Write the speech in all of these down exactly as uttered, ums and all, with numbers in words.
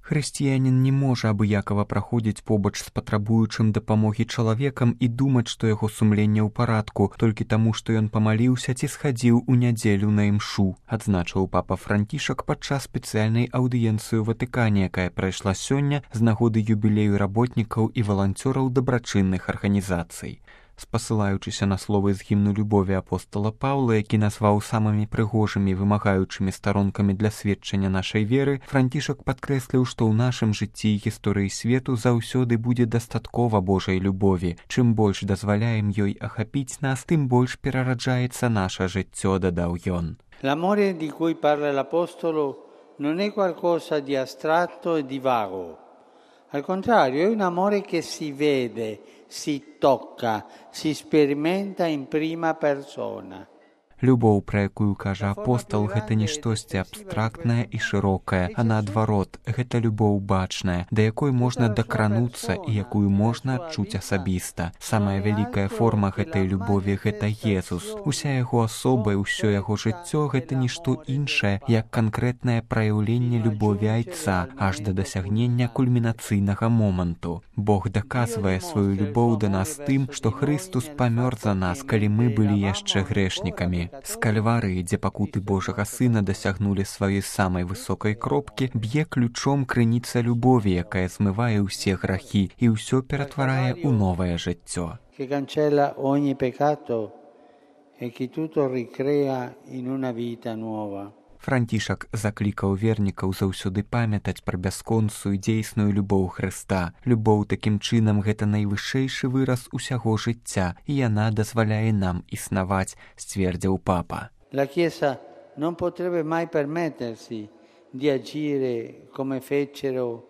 Хрысціянін не можа абыякава праходзіць побач з патрабуючым дапамогі чалавекам і думаць, што яго сумленне ў парадку толькі таму, што ён памаліўся ці схадзіў у нядзелю на імшу, адзначыў папа Францішак падчас спецыяльнай аўдыенцыі ў Ватыкане, якая прайшла сёння з нагоды юбілею работнікаў і валанцёраў дабрачынных арганізацый. Спасылаючыся на словы з гімну любові апостола Паўла, які назваў самымі прыгожымі вымагаючымі старонкамі для сведчання нашай веры, Францішак падкрэсліў, што ў нашым жыцці і гісторыі свету заўсёды будзе дастаткова Божай любові. Чым больш дазваляем ёй ахапіць нас, тым больш перараджаецца наша жыццё, дадаў ён. L'amore di cui parla l'apostolo non è qualcosa di astratto e di vago. Al contrario, è un amore che si vede, si tocca, si sperimenta in prima persona. Любоў, пра якую кажа апостол, гэта не штосьці абстрактнае і шырокае, а наадварот, гэта любоў бачная, да якой можна дакрануцца і якую можна адчуць асабіста. Самая вялікая форма гэтай любові – гэта Езус. Уся яго асоба і ўсё яго жыццё – гэта нішто іншае, як канкрэтнае праяўленне любові айца, аж да дасягнення кульмінацыйнага моманту. Бог даказвае сваю любоў да нас тым, што Хрыстус памёр за нас, калі мы былі яшчэ грэшнікамі. З Кальварыі, дзе пакуты Божага Сына дасягнулі сваёй самай высокай кропкі, б'е ключом крыніца любові, якая змывае ўсе грахі і ўсё ператварае ў новае жыццё. Que cancella ogni peccato e che tutto ricrea in una vita nuova. Францішак заклікаў вернікаў заўсёды памятаць пра бясконцую дзейсную любоў Хрыста. Любоў такім чынам гэта найвышэйшы выраз усяго жыцця, і яна дазваляе нам існаваць, сцвердзіў папа. La Chiesa non potrebbe mai permettersi di agire come fecero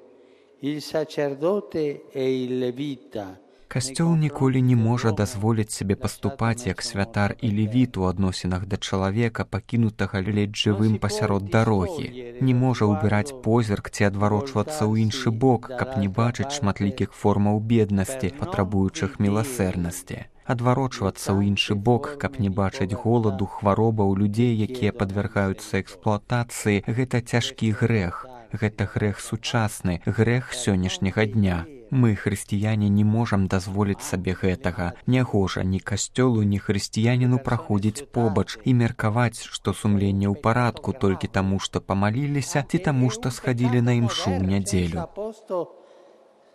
il sacerdote e il levita. Касцёл ніколі не можа дазволіць сабе паступаць як святар і левіт у адносінах да чалавека, пакінутага ледзь жывым пасярод дарогі. Не можа ўбіраць позірк ці адварочвацца ў іншы бок, каб не бачыць шматлікіх формаў беднасці, патрабуючых міласэрнасці. Адварочвацца ў іншы бок, каб не бачыць голаду, хваробаў людзей, якія падвяргаюцца эксплуатацыі, гэта цяжкі грэх. Гэта грэх сучасны, грэх сённяшняга дня. Мы, хрысціяне, не можам дазволіць сабе гэтага. Нягожа ні касцёлу, ні хрысціяніну праходзіць побач і меркаваць, што сумленне ў парадку толькі таму, што памаліліся, ці таму, што схадзілі на імшу ў нядзелю.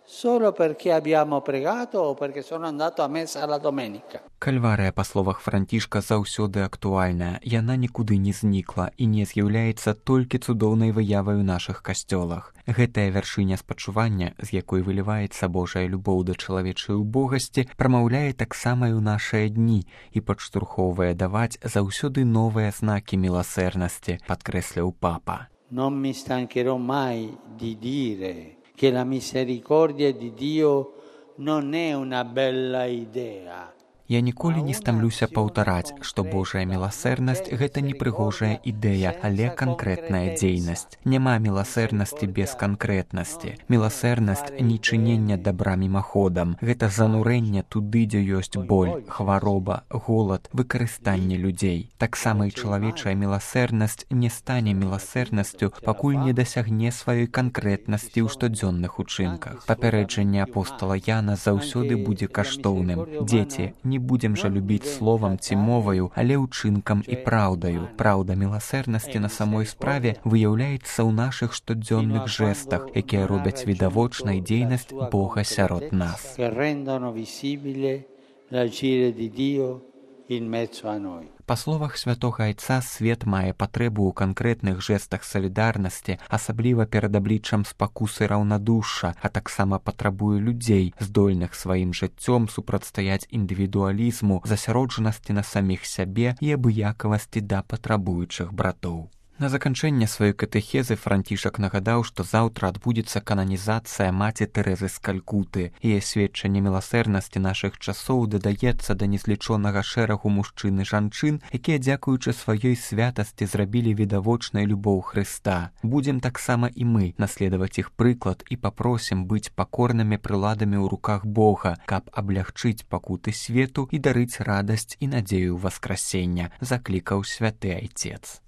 Solo perché abbiamo pregato o perché sono andato a messa la domenica. Кальварыя, па словах Францішка, заўсёды актуальная. Яна нікуды не знікла і не з'яўляецца толькі цудоўнай выявай у нашых касцёлах. Гэтая вяршыня спачування, з якой выліваецца Божая любоў да чалавечай убогасці, прамаўляе таксама і ў нашыя дні і падштурхоўвае даваць заўсёды новыя знакі міласэрнасці, падкрэсліў папа. Non mi stancherò mai di dire che la misericordia di Dio non è una bella idea. Я ніколі не стамлюся паўтараць, што Божая міласэрнасць – гэта не прыгожая ідэя, але канкрэтная дзейнасць. Няма міласэрнасці без канкрэтнасці. Міласэрнасць – не чынення дабра мімаходам. Гэта занурэнне туды, дзе ёсць боль, хвароба, голад, выкарыстанне людзей. Таксама і чалавечая міласэрнасць не стане міласэрнасцю, пакуль не дасягне сваёй канкрэтнасці ў штодзённых учынках. Папярэджанне апостола Яна заўсёды будзе каштоўным. Дзеці, не будзем жа любіць словам ці моваю, але ўчынкам і праўдаю. Праўда міласэрнасці на самой справе выяўляецца ў нашых штодзённых жэстах, якія робяць відавочнай дзейнасць Бога сярод нас. Па словах святога айца, свет мае патрэбу ў канкрэтных жэстах салідарнасці, асабліва перад абліччам спакусы раўнадушша, а таксама патрабуе людзей, здольных сваім жыццём супрацьстаяць індывідуалізму, засяроджанасці на саміх сябе і абыякавасці да патрабуючых братоў. На заканчэнне сваёй катэхезы Францішак нагадаў, што заўтра адбудзецца кананізацыя маці Тэрэзы з Калькуты. Яе сведчанне міласэрнасці нашых часоў дадаецца да незлічонага шэрагу мужчын і жанчын, якія, дзякуючы сваёй святасці, зрабілі відавочнай любоў Хрыста. Будзем таксама і мы наследаваць іх прыклад і папросім быць пакорнымі прыладамі ў руках Бога, каб аблягчыць пакуты свету і дарыць радасць і надзею васкрасення, заклікаў святы айцец.